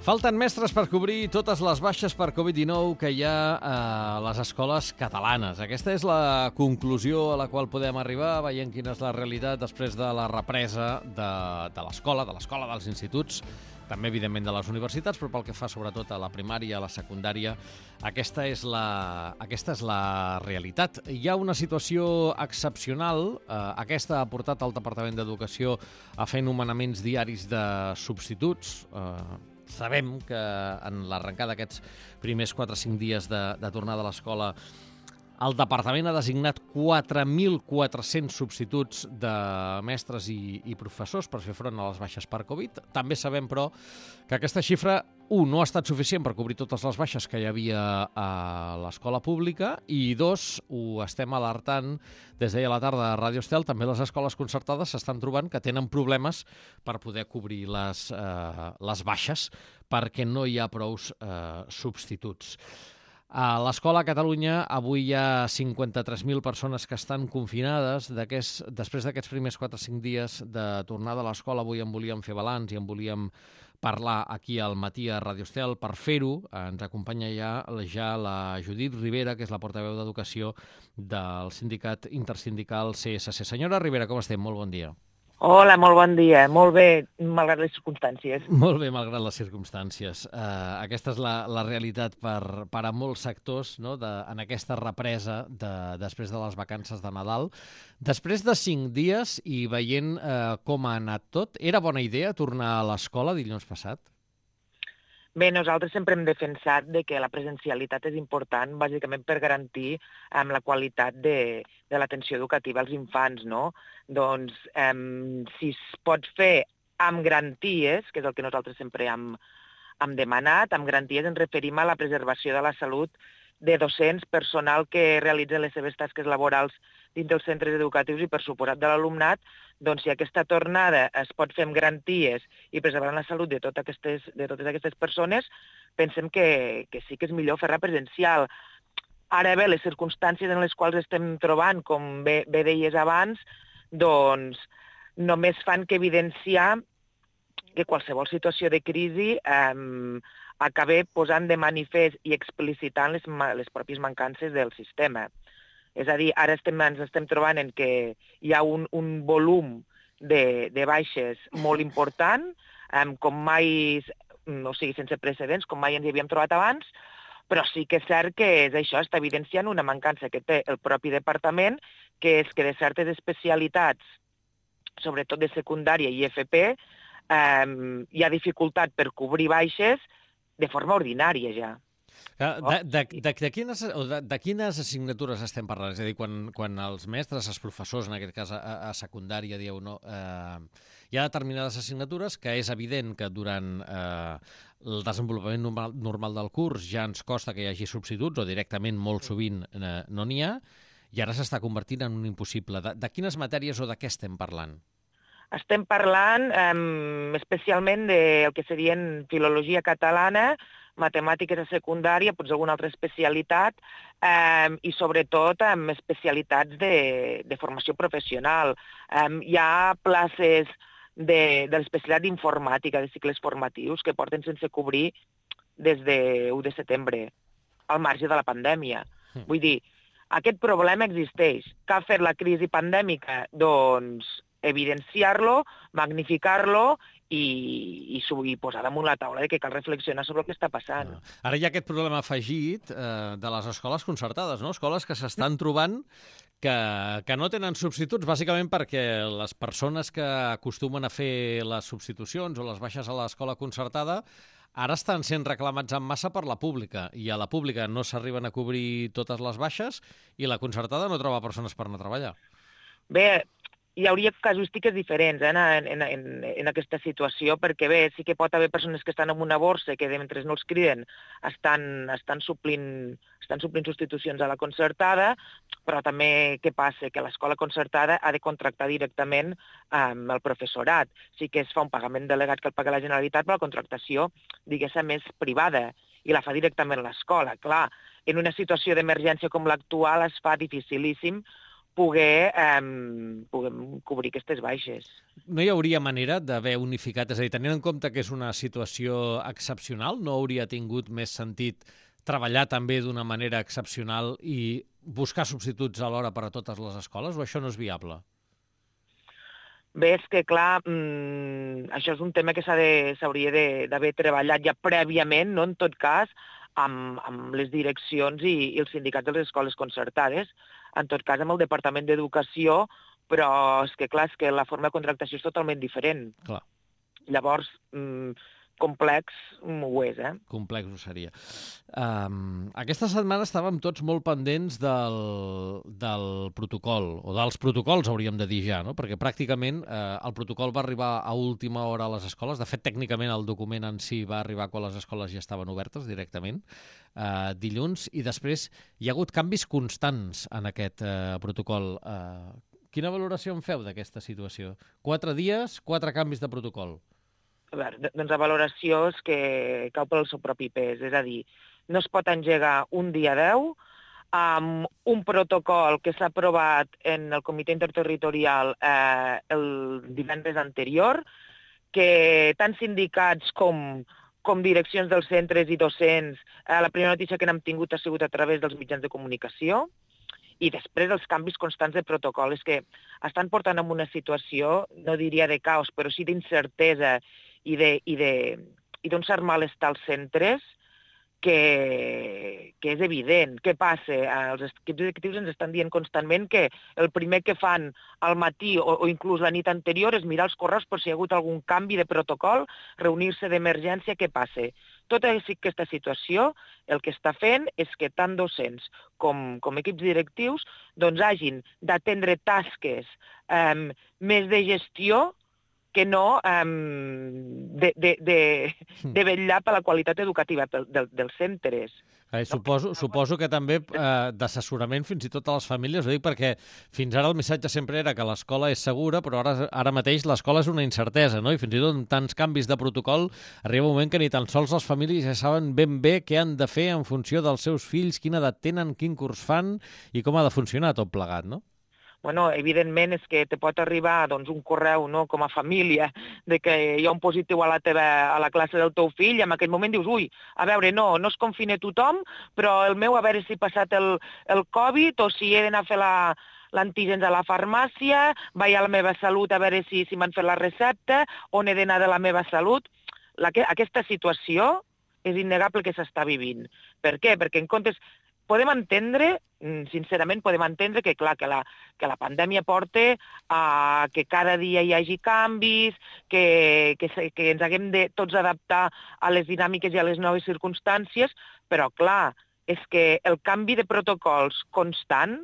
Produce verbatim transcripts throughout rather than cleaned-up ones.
Falten mestres per cobrir totes les baixes per Covid dinou que hi ha a les escoles catalanes. Aquesta és la conclusió a la qual podem arribar, veient quina és la realitat després de la represa de, de l'escola, de l'escola dels instituts, també, evidentment, de les universitats, però pel que fa sobretot a la primària, a la secundària, aquesta és la, aquesta és la realitat. Hi ha una situació excepcional. Eh, aquesta ha portat el Departament d'Educació a fer nomenaments diaris de substituts. Eh, sabem que en l'arrencada d'aquests primers quatre o cinc dies de, de tornada a l'escola el Departament ha designat quatre mil quatre-cents substituts de mestres i, i professors per fer front a les baixes per Covid. També sabem, però, que aquesta xifra, un, no ha estat suficient per cobrir totes les baixes que hi havia a l'escola pública, i dos, ho estem alertant des d'ahir a la tarda a Ràdio Estel, també les escoles concertades s'estan trobant que tenen problemes per poder cobrir les, eh, les baixes perquè no hi ha prous eh, substituts. A l'escola a Catalunya avui hi ha cinquanta-tres mil persones que estan confinades. Després d'aquests primers quatre o cinc dies de tornada a l'escola, avui en volíem fer balanç i en volíem parlar aquí al matí a Ràdio Estel. Per fer-ho ens acompanya ja, ja la Judit Ribera, que és la portaveu d'Educació del sindicat intersindical C S C. Senyora Ribera, com estem? Molt bon dia. Hola, molt bon dia. Molt bé, malgrat les circumstàncies. Molt bé, malgrat les circumstàncies. Uh, aquesta és la, la realitat per, per a molts sectors, no? de, en aquesta represa de, després de les vacances de Nadal. Després de cinc dies i veient uh, com ha anat tot, era bona idea tornar a l'escola dilluns passat? Bé, nosaltres sempre hem defensat de que la presencialitat és important, bàsicament per garantir um, la qualitat de, de l'atenció educativa als infants, no? Doncs, um, si es pot fer amb garanties, que és el que nosaltres sempre hem, hem demanat, amb garanties ens referim a la preservació de la salut de docents, personal que realitzen les seves tasques laborals dins dels centres educatius i, per suposat, de l'alumnat, doncs si aquesta tornada es pot fer amb garanties i preservant la salut de, tot aquestes, de totes aquestes persones, pensem que, que sí que és millor fer-la presencial. Ara bé, les circumstàncies en les quals estem trobant, com bé, bé deies abans, doncs només fan que evidenciar que qualsevol situació de crisi eh, acabi posant de manifest i explicitant les, les pròpies mancances del sistema. És a dir, ara estem, ens estem trobant en que hi ha un, un volum de, de baixes molt important, um, com mai, o sigui, sense precedents, com mai ens hi havíem trobat abans, però sí que és cert que és això, està evidenciant una mancança que té el propi departament, que és que de certes especialitats, sobretot de secundària i F P, um, hi ha dificultat per cobrir baixes de forma ordinària ja. De, de, de, de, quines, de, de quines assignatures estem parlant? És a dir, quan, quan els mestres, els professors, en aquest cas a, a secundària, dieu, no, eh, hi ha determinades assignatures que és evident que durant eh, el desenvolupament normal, normal del curs ja ens costa que hi hagi substituts, o directament molt sovint eh, no n'hi ha, i ara s'està convertint en un impossible. De, de quines matèries o de què estem parlant? Estem parlant eh, especialment del que serien filologia catalana, matemàtiques a secundària, potser alguna altra especialitat, eh, i sobretot amb especialitats de, de formació professional. Eh, hi ha places de, de l'especialitat d'informàtica, de cicles formatius, que porten sense cobrir des de u de setembre, al marge de la pandèmia. Mm. Vull dir, aquest problema existeix. Què ha fet la crisi pandèmica? Doncs evidenciar-lo, magnificar-lo i, i, i posar damunt la taula de que cal reflexionar sobre el que està passant. No. Ara hi ha aquest problema afegit eh, de les escoles concertades, no? Escoles que s'estan trobant que, que no tenen substituts, bàsicament perquè les persones que acostumen a fer les substitucions o les baixes a l'escola concertada ara estan sent reclamats en massa per la pública, i a la pública no s'arriben a cobrir totes les baixes i la concertada no troba persones per anar a treballar. Bé, hi hauria casuístiques diferents eh, en, en, en, en aquesta situació, perquè bé, sí que pot haver persones que estan en una borsa que mentre no els criden estan, estan, suplint, estan suplint substitucions a la concertada, però també què passa? Que l'escola concertada ha de contractar directament amb el professorat. Sí que es fa un pagament delegat que el paga la Generalitat, però la contractació, diguéssim, és privada i la fa directament l'escola. Clar, en una situació d'emergència com l'actual es fa dificilíssim poder, eh, puguem cobrir aquestes baixes. No hi hauria manera d'haver unificat? És a dir, tenint en compte que és una situació excepcional, no hauria tingut més sentit treballar també d'una manera excepcional i buscar substituts alhora per a totes les escoles, o això no és viable? Bé, és que, clar, mmm, això és un tema que s'hauria d'haver treballat ja prèviament, no? En tot cas, amb, amb les direccions i, i els sindicats de les escoles concertades, en tot cas amb el Departament d'Educació, però és que, clar, és que la forma de contractació és totalment diferent. Clar. Llavors, mmm, complex ho és, eh? Complex ho seria. Um, aquesta setmana estàvem tots molt pendents del, del protocol, o dels protocols hauríem de dir ja, no? Perquè pràcticament eh, el protocol va arribar a última hora a les escoles. De fet, tècnicament el document en si va arribar quan les escoles ja estaven obertes directament, eh, dilluns, i després hi ha hagut canvis constants en aquest eh, protocol. Eh, quina valoració en feu d'aquesta situació? Quatre dies, quatre canvis de protocol. A veure, doncs la valoració és que cau pel seu propi pes, és a dir, no es pot engegar un dia deu amb un protocol que s'ha aprovat en el comitè interterritorial eh, el divendres anterior, que tant sindicats com, com direccions dels centres i docents, eh, la primera notícia que n'hem tingut ha sigut a través dels mitjans de comunicació, i després els canvis constants de protocol, és que estan portant en una situació, no diria de caos, però sí d'incertesa i d'un cert malestar als centres que, que és evident. Què passa? Els equips directius ens estan dient constantment que el primer que fan al matí o, o inclús la nit anterior és mirar els correus per si hi ha hagut algun canvi de protocol, reunir-se d'emergència, què passa? Tota aquesta situació el que està fent és que tant docents com, com equips directius doncs, hagin d'atendre tasques eh, més de gestió que no um, de, de, de, de vetllar per la qualitat educativa del, del, dels centres. Eh, suposo, suposo que també eh, d'assessorament fins i tot a les famílies, ho dic perquè fins ara el missatge sempre era que l'escola és segura, però ara, ara mateix l'escola és una incertesa, no? I fins i tot amb tants canvis de protocol arriba un moment que ni tan sols les famílies ja saben ben bé què han de fer en funció dels seus fills, quina edat tenen, quin curs fan i com ha de funcionar tot plegat, no? Bueno, evidentment és que te pot arribar doncs, un correu, no, com a família de que hi ha un positiu a la, teva, a la classe del teu fill i en aquell moment dius, ui, a veure, no, no es confina tothom, però el meu a veure si ha passat el, el Covid o si he d'anar a fer la, l'antígens a la farmàcia, vaig a la meva salut a veure si, si m'han fet la recepta, on he d'anar de la meva salut. La, aquesta situació és innegable que s'està vivint. Per què? Perquè en comptes... Podem entendre, sincerament, podem entendre que, clar, que la, que la pandèmia porta a que cada dia hi hagi canvis, que, que, que ens haguem de tots adaptar a les dinàmiques i a les noves circumstàncies, però, clar, és que el canvi de protocols constant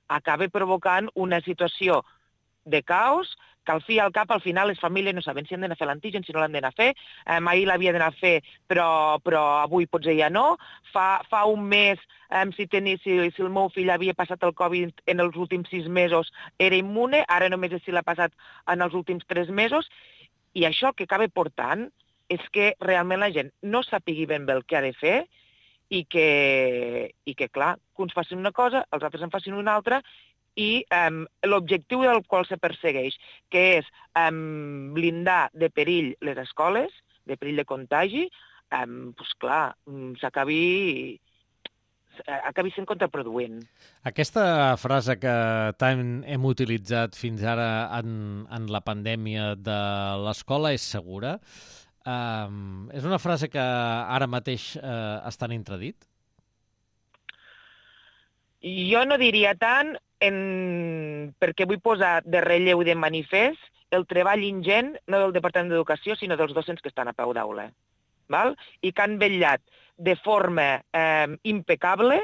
acaba provocant una situació de caos que al fi i al cap, al final, les famílies no saben si han d'anar a fer l'antígen, si no l'han d'anar a fer. Eh, ahir l'havia d'anar a fer, però, però avui potser ja no. Fa, fa un mes, eh, si, tenia, si, si el meu fill havia passat el Covid en els últims sis mesos, era immune, ara només és si l'ha passat en els últims tres mesos. I això el que acaba portant és que realment la gent no sàpigui ben bé el que ha de fer i que, i que clar, que uns facin una cosa, els altres en facin una altra, i um, l'objectiu del qual se persegueix, que és um, blindar de perill les escoles, de perill de contagi, um, doncs clar, s'acabi acabi sent contraproduent. Aquesta frase que tant hem utilitzat fins ara en, en la pandèmia de l'escola és segura, um, és una frase que ara mateix uh, està en intradit? Jo no diria tant, en... perquè vull posar de relleu i de manifest el treball ingent, no del Departament d'Educació, sinó dels docents que estan a peu d'aula, val? I que han vetllat de forma eh, impecable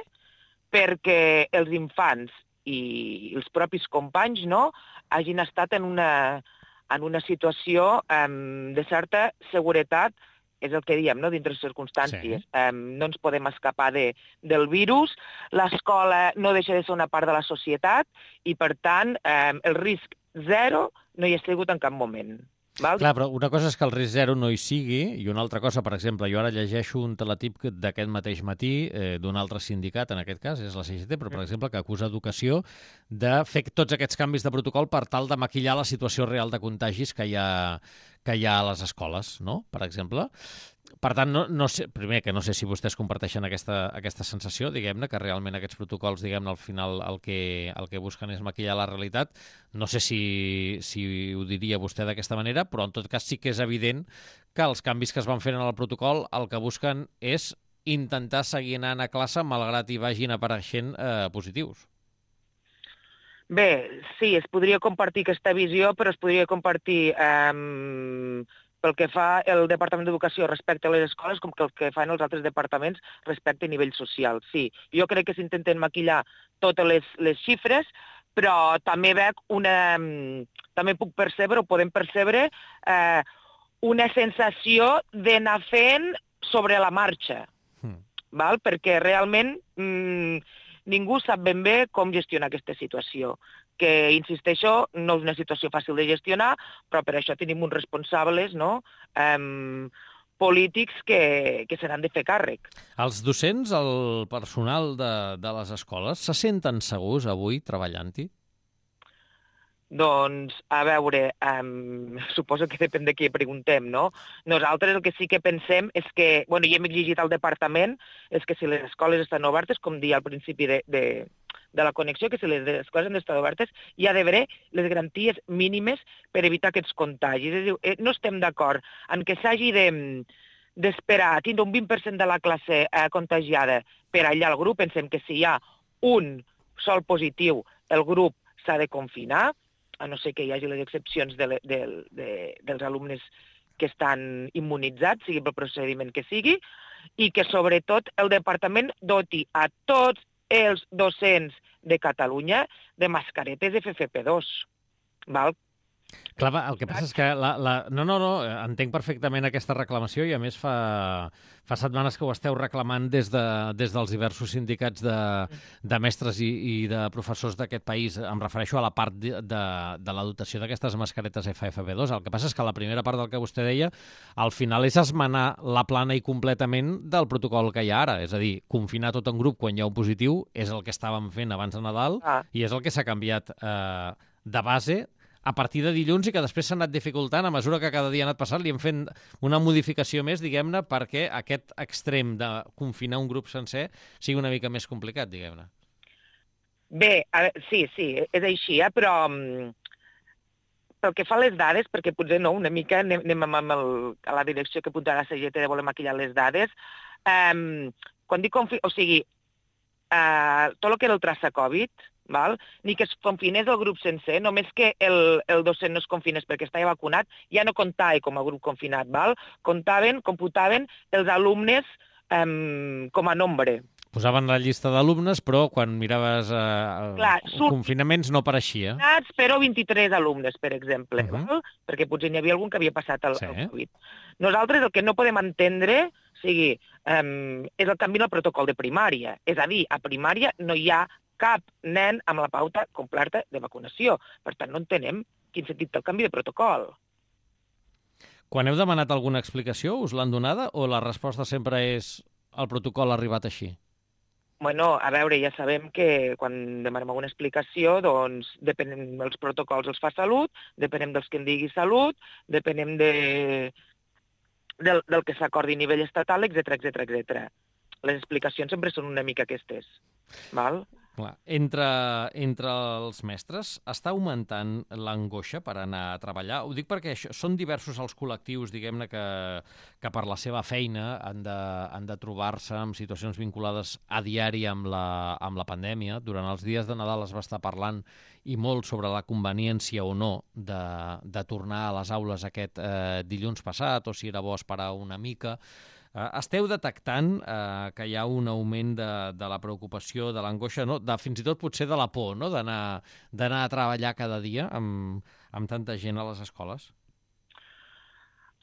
perquè els infants i els propis companys no, hagin estat en una, en una situació eh, de certa seguretat, és el que diem, no? Dintre les circumstàncies. Sí. Um, no ens podem escapar de, del virus, l'escola no deixa de ser una part de la societat i, per tant, um, el risc zero no hi ha sigut en cap moment. Val? Clar, però una cosa és que el risc zero no hi sigui i una altra cosa, per exemple, jo ara llegeixo un teletip d'aquest mateix matí eh, d'un altre sindicat, en aquest cas és la C G T, però per exemple que acusa Educació de fer tots aquests canvis de protocol per tal de maquillar la situació real de contagis que hi ha, que hi ha a les escoles, no? Per exemple. Per tant, no, no sé, primer, que no sé si vostès comparteixen aquesta, aquesta sensació, diguem-ne, que realment aquests protocols, diguem-ne, al final el que, el que busquen és maquillar la realitat. No sé si, si ho diria vostè d'aquesta manera, però en tot cas sí que és evident que els canvis que es van fent en el protocol el que busquen és intentar seguir anant a classe malgrat hi vagin apareixent eh, positius. Bé, sí, es podria compartir aquesta visió, però es podria compartir eh, pel que fa el Departament d'Educació respecte a les escoles com que el que fan els altres departaments respecte a nivell social. Sí, jo crec que s'intenten maquillar totes les, les xifres, però també veig una... també puc percebre, o podem percebre, eh, una sensació d'anar fent sobre la marxa, mm. val? Perquè realment mmm, ningú sap ben bé com gestionar aquesta situació, que, insisteixo, no és una situació fàcil de gestionar, però per això tenim uns responsables, no?, um, polítics que, que se n'han de fer càrrec. Els docents, el personal de, de les escoles, se senten segurs avui treballant-hi? Doncs, a veure, um, suposo que depèn de qui preguntem, no? Nosaltres el que sí que pensem és que, bueno, i hem exigit al departament, és que si les escoles estan obertes, com dia al principi de, de, de la connexió, que si les escoles han d'estar obertes, hi ha d'haver les garanties mínimes per evitar aquests contagis. És a dir, no estem d'acord en que s'hagi de, d'esperar a tindre un vint per cent de la classe eh, contagiada per allà al grup. Pensem que si hi ha un sol positiu, el grup s'ha de confinar, a no ser que hi hagi les excepcions de, de, de, dels alumnes que estan immunitzats, sigui pel procediment que sigui, i que sobretot el departament doti a tots els docents de Catalunya de mascaretes F F P dos. Val? Clar, el que passa és que... La, la... No, no, no, entenc perfectament aquesta reclamació i, a més, fa, fa setmanes que ho esteu reclamant des, de, des dels diversos sindicats de, de mestres i, i de professors d'aquest país. Em refereixo a la part de, de, de la dotació d'aquestes mascaretes F F P dos. El que passa és que la primera part del que vostè deia, al final és esmenar la plana i completament del protocol que hi ha ara. És a dir, confinar tot en grup quan hi ha un positiu és el que estàvem fent abans de Nadal ah. i és el que s'ha canviat eh, de base a partir de dilluns i que després s'ha anat dificultant a mesura que cada dia ha anat passant, li hem fet una modificació més, diguem-ne, perquè aquest extrem de confinar un grup sencer sigui una mica més complicat, diguem-ne. Bé, a veure, sí, sí, és així, eh? Però um, pel que fa a les dades, perquè potser no, una mica anem, anem amb el, a la direcció que apuntarà la C G T de voler maquillar les dades, um, quan dic confi... o sigui, uh, tot el que era el traça Covid, val? Ni que es confinés el grup sencer, només que el, el docent no es confinés perquè estava vacunat, ja no comptava com a grup confinat, val? Comptaven, computaven els alumnes um, com a nombre. Posaven la llista d'alumnes, però quan miraves eh, Clar, confinaments no apareixia. Però vint-i-tres alumnes, per exemple, uh -huh. val? Perquè potser n'hi havia algun que havia passat el, sí. el Covid. Nosaltres el que no podem entendre o sigui, um, és el canvi en el protocol de primària. És a dir, a primària no hi ha cap nen amb la pauta completa de vacunació. Per tant, no entenem quin sentit té el canvi de protocol. Quan heu demanat alguna explicació, us l'han donada o la resposta sempre és el protocol ha arribat així? Bueno, a veure, ja sabem que quan demanem alguna explicació, doncs depenem dels protocols els fa Salut, depenem dels que en digui Salut, depenem de, del, del que s'acordi a nivell estatal, etcètera, etcètera, etcètera. Les explicacions sempre són una mica aquestes, val? Clar. Entre, entre els mestres està augmentant l'angoixa per anar a treballar? Ho dic perquè això, són diversos els col·lectius, diguem-ne, que, que per la seva feina han de, han de trobar-se en situacions vinculades a diari amb la, amb la pandèmia. Durant els dies de Nadal es va estar parlant i molt sobre la conveniència o no de, de tornar a les aules aquest eh, dilluns passat, o si era bo esperar una mica. Uh, esteu detectant uh, que hi ha un augment de, de la preocupació, de l'angoixa, no? de, fins i tot potser de la por, no? d'anar d'anar a treballar cada dia amb, amb tanta gent a les escoles?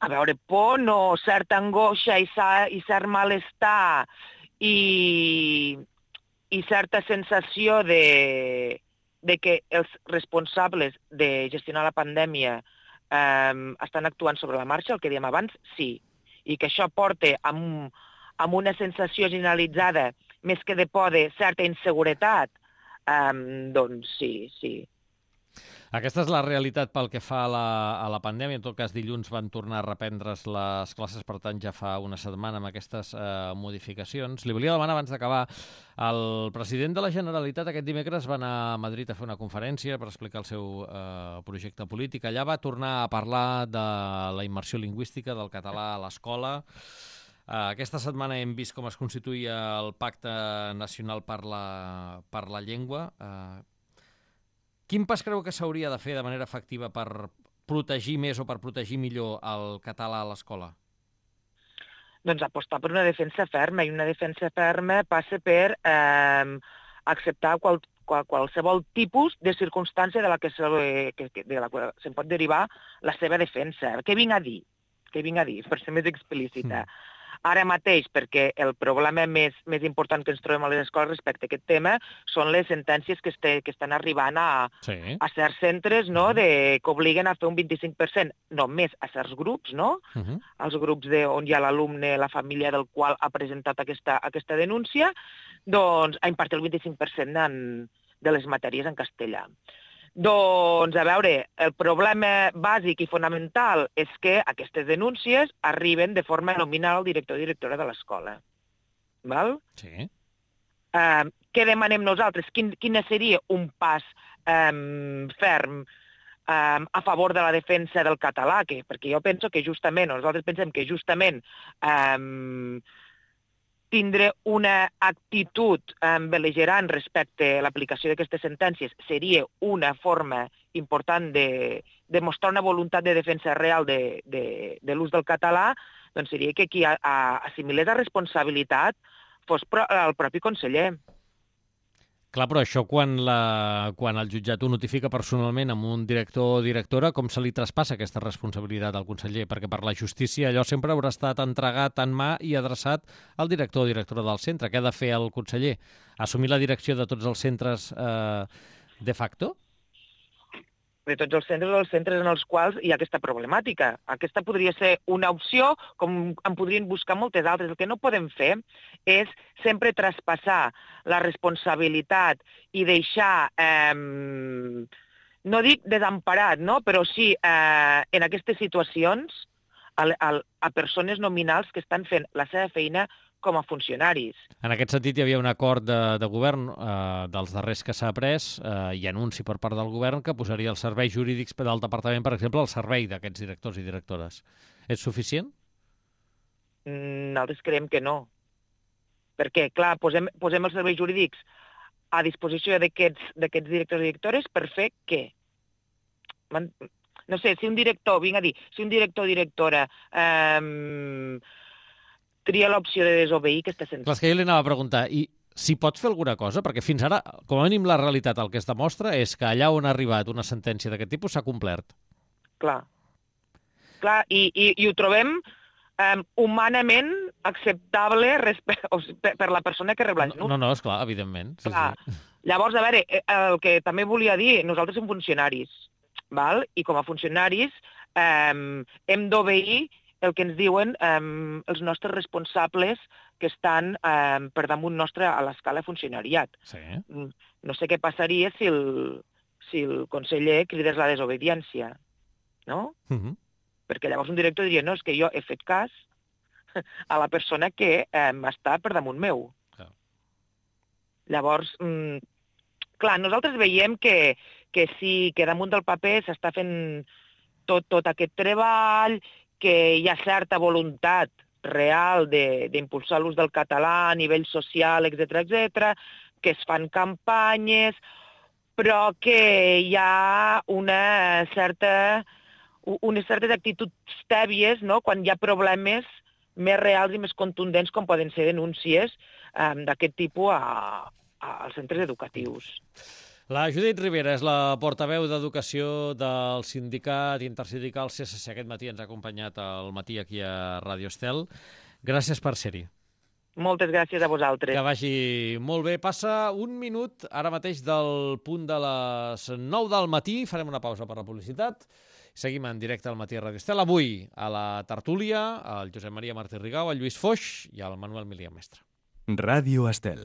A veure, por no, certa angoixa i, i cert malestar i, i certa sensació de, de que els responsables de gestionar la pandèmia eh, estan actuant sobre la marxa, el que dèiem abans, sí. I que això porta amb, amb una sensació generalitzada, més que de por, de certa inseguretat, eh, doncs sí, sí. Aquesta és la realitat pel que fa a la, a la pandèmia. En tot cas, dilluns van tornar a reprendre's les classes, per tant, ja fa una setmana amb aquestes eh, modificacions. Li volia demanar, abans d'acabar, el president de la Generalitat aquest dimecres va anar a Madrid a fer una conferència per explicar el seu eh, projecte polític. Allà va tornar a parlar de la immersió lingüística del català a l'escola. Uh, aquesta setmana hem vist com es constituïa el Pacte Nacional per la, per la Llengua. Uh, Quin pas creu que s'hauria de fer de manera efectiva per protegir més o per protegir millor el català a l'escola? Doncs apostar per una defensa ferma, i una defensa ferma passa per eh, acceptar qual, qual, qualsevol tipus de circumstància de la que, se, que, de la que se'n pot derivar la seva defensa. Què vinc a dir? Què vinc a dir, per ser més explícita? Mm. Ara mateix, perquè el problema més, més important que ens trobem a les escoles respecte a aquest tema són les sentències que, este, que estan arribant a, sí. a certs centres, no?, de, que obliguen a fer un vint-i-cinc per cent només a certs grups, no? Uh -huh. Els grups de, on hi ha l'alumne, la família del qual ha presentat aquesta, aquesta denúncia, doncs a impartir el vint-i-cinc per cent en, de les matèries en castellà. Doncs, a veure, el problema bàsic i fonamental és que aquestes denúncies arriben de forma nominal al director o directora de l'escola. Val? Sí. Uh, què demanem nosaltres? Quin, quin seria un pas um, ferm um, a favor de la defensa del català? Que, perquè jo penso que justament, nosaltres pensem que justament um, tindre una actitud eh, bel·ligerant respecte a l'aplicació d'aquestes sentències seria una forma important de, de mostrar una voluntat de defensa real de, de, de l'ús del català, doncs seria que qui a, a, assimilés la responsabilitat fos pro, el propi conseller. Clar, però això quan, la, quan el jutjat ho notifica personalment amb un director o directora, com se li traspassa aquesta responsabilitat al conseller? Perquè per la justícia allò sempre haurà estat entregat en mà i adreçat al director o directora del centre. Què ha de fer el conseller? Assumir la direcció de tots els centres eh, de facto? De tots els centres o els centres en els quals hi ha aquesta problemàtica. Aquesta podria ser una opció, com en podrien buscar moltes altres. El que no podem fer és sempre traspassar la responsabilitat i deixar, eh, no dic desemparat, no? Però sí eh, en aquestes situacions a, a, a persones nominals que estan fent la seva feina com a funcionaris. En aquest sentit, hi havia un acord de, de govern eh, dels darrers que s'ha pres eh, i anunci per part del govern que posaria els serveis jurídics del departament, per exemple, al servei d'aquests directors i directores. És suficient? Nosaltres creiem que no. Perquè, clar, posem, posem els serveis jurídics a disposició d'aquests directors i directores per fer què? No sé, si un director, vinc a dir, si un director o directora eh, tria l'opció de desobeir aquesta sentència. Clar, és que jo li anava a preguntar, i si pot fer alguna cosa? Perquè fins ara, com a mínim, la realitat el que es demostra és que allà on ha arribat una sentència d'aquest tipus s'ha complert. Clar. Clar, i, i, i ho trobem um, humanament acceptable respecte, o sigui, per, per la persona que rep l'ajut. No, no, esclar, evidentment. Sí, clar. Sí. Llavors, a veure, el que també volia dir, nosaltres som funcionaris, val? I com a funcionaris um, hem d'obeir el que ens diuen eh, els nostres responsables que estan eh, per damunt nostre a l'escala funcionariat. Sí. No sé què passaria si el, si el conseller cridés la desobediència, no? Uh -huh. Perquè llavors un director diria, no, és que jo he fet cas a la persona que eh, està per damunt meu. Clar. Llavors, mm, clar, nosaltres veiem que, que sí, que damunt del paper s'està fent tot, tot aquest treball, que hi ha certa voluntat real d'impulsar l'ús del català a nivell social, etcètera, etcètera, que es fan campanyes, però que hi ha una certa, unes certes actituds tèbies, no?, quan hi ha problemes més reals i més contundents, com poden ser denúncies eh, d'aquest tipus a, a, als centres educatius. La Judit Ribera és la portaveu d'Educació del sindicat intersindical C S C. Aquest matí ens ha acompanyat al matí aquí a Ràdio Estel. Gràcies per ser-hi. Moltes gràcies a vosaltres. Que vagi molt bé. Passa un minut ara mateix del punt de les nou del matí. Farem una pausa per la publicitat. Seguim en directe al Matí a Ràdio Estel. Avui a la tertúlia, el Josep Maria Martí Rigau, el Lluís Foix i el Manuel Milian Mestre. Ràdio Estel.